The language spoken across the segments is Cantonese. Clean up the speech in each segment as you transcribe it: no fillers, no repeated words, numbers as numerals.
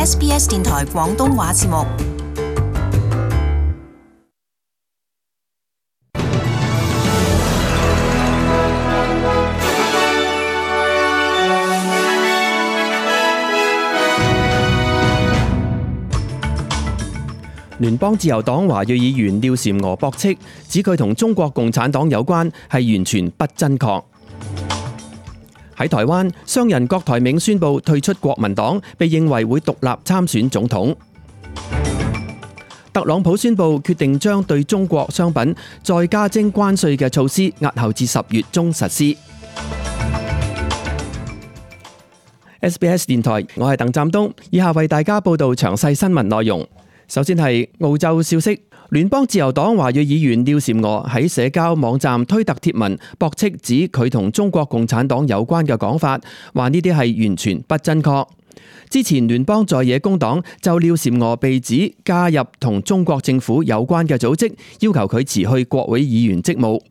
SBS 電台廣東話節目。聯邦自由黨華裔議員廖嬋娥駁斥，指佢同中國共產黨有關係完全不真確。喺台灣，商人郭台銘宣布退出國民黨，被認為會獨立參選總統。特朗普宣布決定將對中國商品再加徵關稅嘅措施押後至10月中實施。SBS 電台，我係鄧湛東，以下為大家報道詳細新聞內容。首先係澳洲消息，聯邦自由黨華裔議員廖嬋娥喺社交網站推特貼文駁斥，指佢同中國共產黨有關嘅講法，話呢啲係完全不真確。之前聯邦在野工黨就廖嬋娥被指加入同中國政府有關嘅組織，要求佢辭去國會議員職務。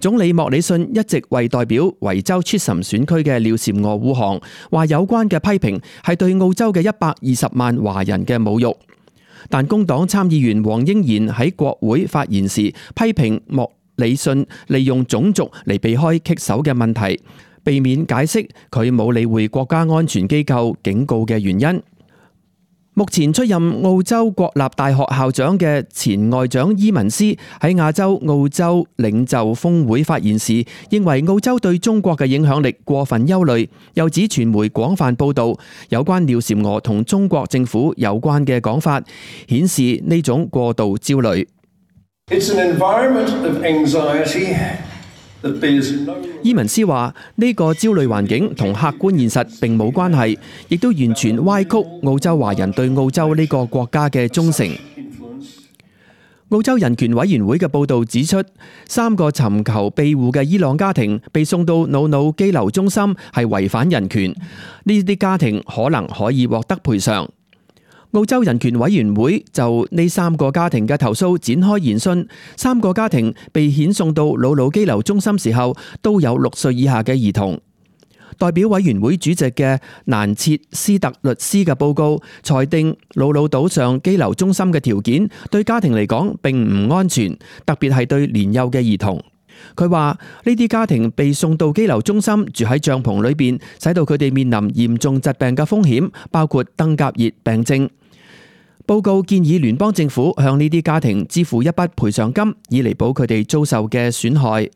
總理莫里遜一直為代表維州 Chisholm 選區嘅廖嬋娥護航，話有關嘅批評係對澳洲嘅120萬華人嘅侮辱。但工黨參議員黃英賢喺國會發言時，批評莫里遜利用種族嚟避開棘手嘅問題，避免解釋佢冇理會國家安全機構警告嘅原因。目前出任澳洲國立大學校長嘅前外長伊文斯喺亞洲澳洲領袖峰會發言時，認為澳洲對中國嘅影響力過分憂慮，又指傳媒廣泛報導有關廖嬋娥同中國政府有關嘅講法，顯示呢種過度焦慮。伊文斯話：呢個焦慮環境同客觀現實並冇關係，亦都完全歪曲澳洲華人對澳洲呢個國家嘅忠誠。澳洲人權委員會嘅報導指出，3個尋求庇護嘅伊朗家庭被送到瑙魯羈留中心係違反人權，呢啲家庭可能可以獲得賠償。澳洲人權委員會就呢3個家庭嘅投訴展開研訊，3個家庭被遣送到瑙魯羈留中心時候都有6歲以下嘅兒童。代表委員會主席嘅蘭切斯特律師嘅報告裁定，瑙魯島上羈留中心嘅條件對家庭嚟講並唔安全，特別係對年幼嘅兒童。佢話呢啲家庭被送到羈留中心住喺帳篷裏邊，使到佢哋面臨嚴重疾病嘅風險，包括登革熱病症。報告建議聯邦政府向呢啲家庭支付一筆賠償金，以彌補佢哋遭受嘅損害。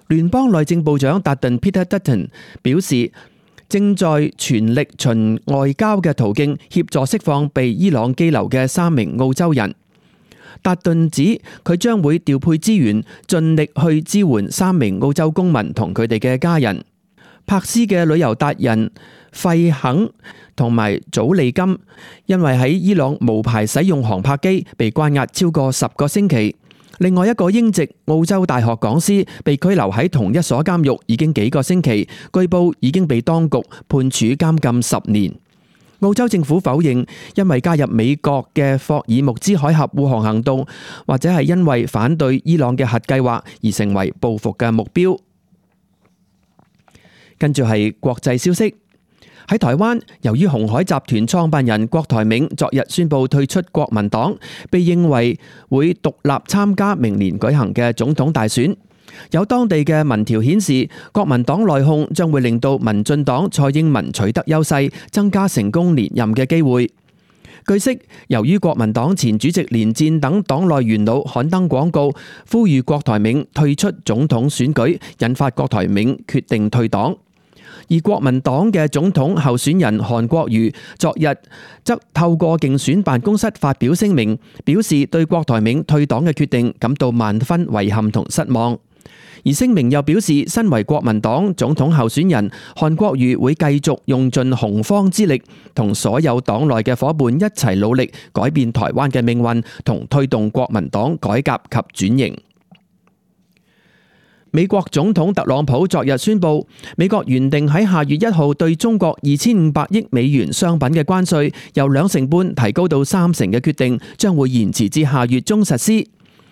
聯邦內政部長達頓 Peter Dutton 表示，正在全力循外交嘅途徑協助釋放被伊朗羈留嘅3名澳洲人。達頓指佢將會調配資源，盡力去支援3名澳洲公民同佢哋嘅家人。柏斯嘅旅遊達人費肯同埋祖利金，因為喺伊朗無牌使用航拍機，被關押超過10個星期。另外一個英籍澳洲大學講師被拘留喺同一所監獄已經幾個星期，據報已經被當局判處監禁10年。澳洲政府否認因為加入美國嘅霍爾木茲海峽護航行動，或者係因為反對伊朗嘅核計劃而成為報復嘅目標。跟住係國際消息，喺台灣，由於鴻海集團創辦人郭台銘昨日宣布退出國民黨，被認為會獨立參加明年舉行嘅總統大選。有當地嘅民調顯示，國民黨內訌將會令到民進黨蔡英文取得優勢，增加成功連任嘅機會。據悉，由於國民黨前主席連戰等黨內元老刊登廣告，呼籲郭台銘退出總統選舉，引發郭台銘決定退黨。而國民黨嘅總統候選人韓國瑜昨日則透過競選辦公室發表聲明，表示對郭台銘退黨嘅決定感到萬分遺憾同失望。而聲明又表示，身為國民黨總統候選人，韓國瑜會繼續用盡洪荒之力，同所有黨內嘅夥伴一齊努力，改變台灣嘅命運，同推動國民黨改革及轉型。美國總統特朗普昨日宣布，美國原定喺下月1號對中國2500億美元商品嘅關稅由2.5%提高到3%嘅決定，將會延遲至下月中實施。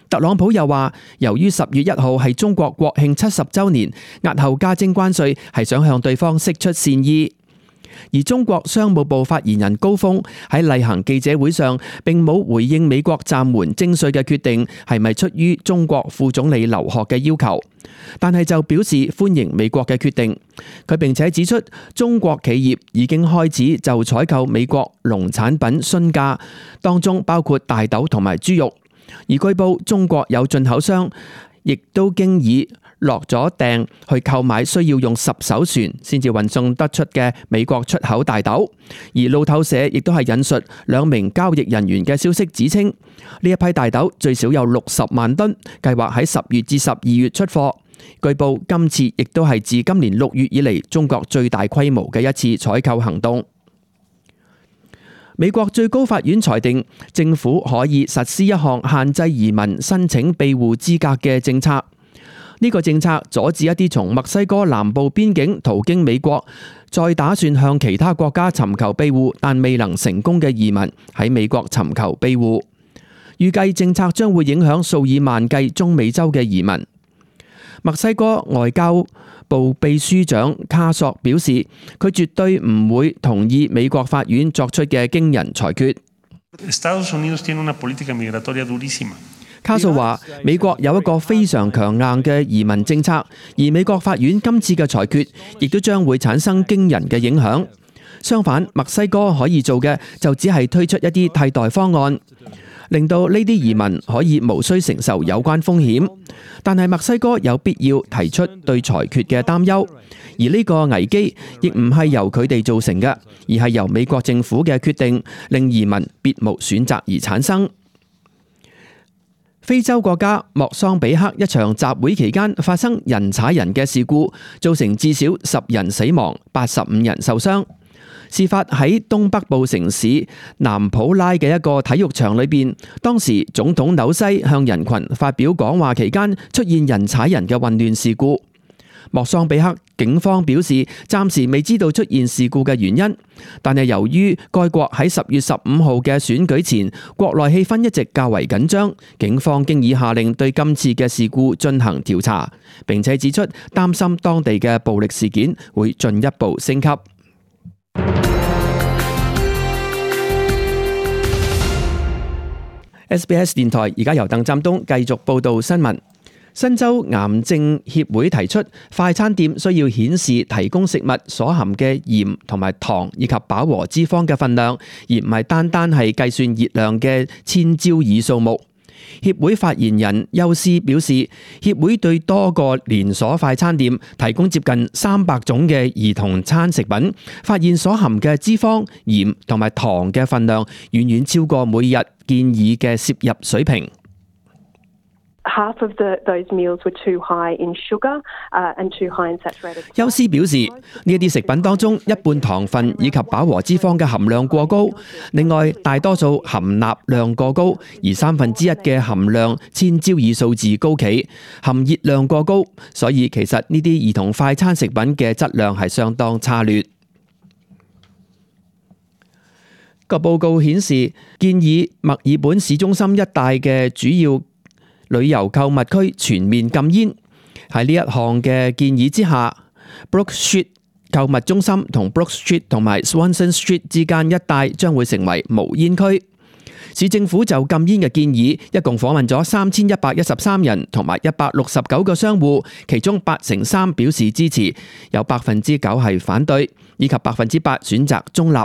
特朗普又話，由於10月1號係中國國慶70週年，押後加徵關稅係想向對方釋出善意。而中國商務部發言人高峰喺例行記者會上並冇回應美國暫緩徵稅嘅決定係咪出於中國副總理劉鶴嘅要求，但係就表示歡迎美國嘅決定。佢並且指出，中國企業已經開始就採購美國農產品詢價，當中包括大豆同埋豬肉。而據報，中國有進口商亦都經已落咗訂去購買需要用10艘船先至運送得出嘅美國出口大豆。而路透社亦都係引述2名交易人員嘅消息指稱，呢一批大豆最少有60萬噸，計劃喺10月至12月出貨。據報今次亦都係自今年6月以嚟中國最大規模嘅一次採購行動。美國最高法院裁定，政府可以實施一項限制移民申請庇護資格嘅政策。呢個政策阻止一啲從墨西哥南部邊境途經美國，再打算向其他國家尋求庇護但未能成功嘅移民喺美國尋求庇護。預計政策將會影響數以萬計中美洲嘅移民。墨西哥外交部秘書長卡索表示，佢絕對唔會同意美國法院作出嘅驚人裁決。卡索話，美國有一個非常強硬嘅移民政策，而美國法院今次嘅裁決亦都將會產生驚人嘅影響。相反，墨西哥可以做嘅就只係推出一啲替代方案，令到呢啲移民可以無需承受有關風險。但係墨西哥有必要提出對裁決嘅擔憂，而呢個危機亦唔係由佢哋造成嘅，而係由美國政府嘅決定令移民別無選擇而產生。非洲國家莫桑比克一場集會期間發生人踩人嘅事故，造成至少10人死亡、85人受傷。事發喺東北部城市南普拉嘅一個體育場裏邊，當時總統紐西向人群發表講話期間出現人踩人嘅混亂事故。莫桑比克警方表示，暫時未知道出現事故嘅原因，但係由於該國喺10月15號嘅選舉前，國內氣氛一直較為緊張，警方經已下令對今次嘅事故進行調查，並且指出擔心當地嘅暴力事件會進一步升級。SBS 電台而家由鄧湛東繼續報道新聞。新州癌症協會提出，快餐店需要顯示提供食物所含嘅鹽同埋糖以及飽和脂肪嘅分量，而唔係單單係計算熱量嘅千焦耳數目。協會發言人休斯表示，協會對多個連鎖快餐店提供接近300種嘅兒童餐食品，發現所含嘅脂肪、鹽同埋糖嘅分量遠遠超過每日建議嘅攝入水平。休斯表示，呢一啲食品當中，一半糖分以及飽和脂肪嘅含量過高，另外大多數含鈉量過高，而1/3嘅含量千焦耳數字高企，含熱量過高，所以其實呢啲兒童快餐食品嘅質量係相當差劣。個報告顯示，建議墨爾本市中心一帶嘅主要旅遊購物區全面禁煙。喺呢一項嘅建議之下， Brook Street 購物中心同 Brook Street 同埋 Swanson Street 之間一帶將會成為無煙區。市政府就禁煙嘅建議一共訪問咗3113人同埋169個商戶，其中83%表示支持，有9%係反對，以及8%選擇中立。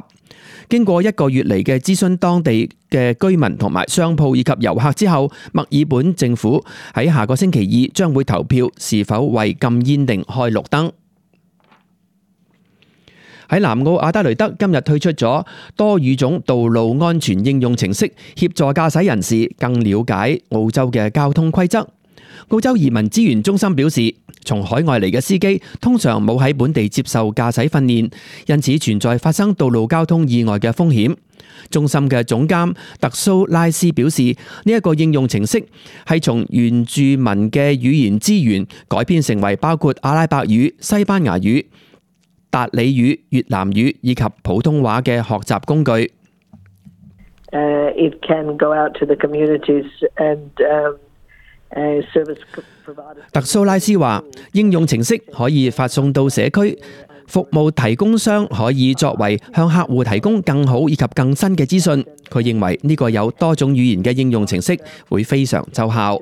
經過1個月嚟嘅諮詢當地嘅居民同埋商鋪以及遊客之後，墨爾本政府喺下個星期2將會投票是否為禁煙令開綠燈。喺南澳阿德雷德今日推出咗多語種道路安全應用程式，協助駕駛人士更了解澳洲嘅交通規則。澳洲移民資源中心表示，從海外嚟嘅司機通常冇喺本地接受駕駛訓練，因此存在發生道路交通意外嘅風險。中心嘅總監特蘇拉斯表示，呢一個應用程式係從原住民嘅語言資源改編成為包括阿拉伯語、西班牙語、達里語、越南語以及普通話嘅學習工具。It can go out to the communities and特蘇拉斯話，應用程式可以發送到社區，服務提供商可以作為向客戶提供更好以及更新嘅資訊。佢認為呢個有多種語言嘅應用程式會非常奏效。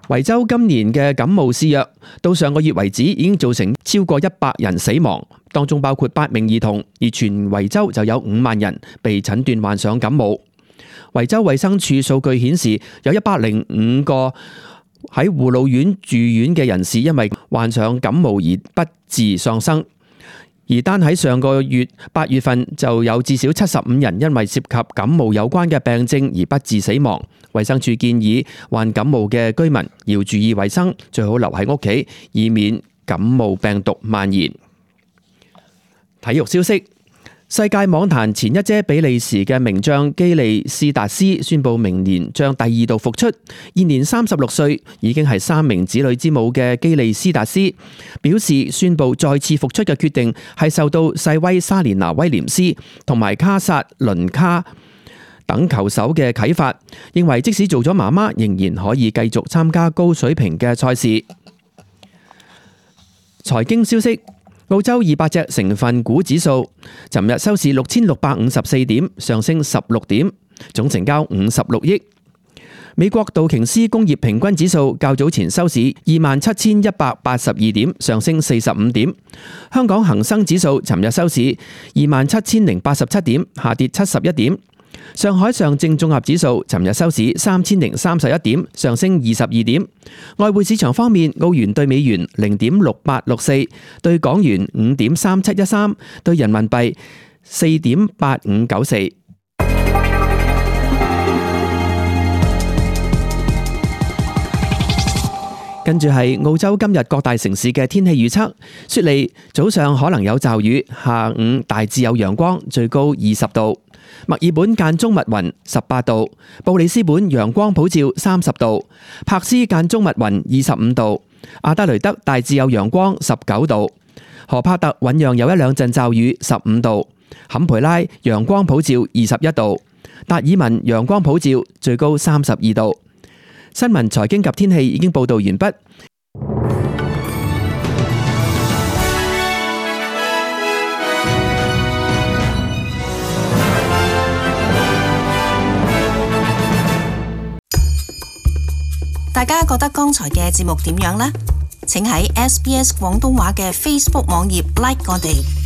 維州今年嘅感冒肆虐，到上個月為止已經造成超過100人死亡，當中包括8名兒童，而全維州就有5萬人被診斷患上感冒。維州衛生署數據顯示，有105個喺護老院住院嘅人士因為患上感冒而不治喪生，而單喺上個月8月份就有至少75人因為涉及感冒有關嘅病症而不治死亡。衛生署建議患感冒嘅居民要注意衛生，最好留喺屋企，以免感冒病毒蔓延。體育消息：世界網壇前一姐比利時嘅名將基利斯達斯宣布明年將第2度復出。現年36歲，已經係3名子女之母嘅基利斯達斯表示，宣布再次復出嘅決定係受到細威莎蓮娜威廉斯同埋卡薩倫卡等球手嘅啟發，認為即使做咗媽媽，仍然可以繼續參加高水平嘅賽事。財經消息：澳洲200隻成分股指數尋日收市6654點，上升16點，總成交56億。美國道瓊斯工業平均指數較早前收市27182點，上升45點。香港恒生指數尋日收市27087點，下跌71點。上海上證綜合指數尋日收市3031點，上升22點。外匯市場方面，澳元對美元0.6864，對港元5.3713，對人民幣4.8594。跟住係澳洲今日各大城市嘅天氣預測：雪梨早上可能有驟雨，下午大致有陽光，最高20度；墨爾本間中密雲18度；布里斯本陽光普照30度；柏斯間中密雲25度；阿德雷德大致有陽光19度；荷帕特醞釀有一兩陣驟雨15度；坎培拉陽光普照21度；達爾文陽光普照最高32度。新聞、財經及天氣已經報道完畢。大家覺得剛才嘅節目點樣呢？請喺SBS 廣東話嘅 Facebook 網頁 like 我哋。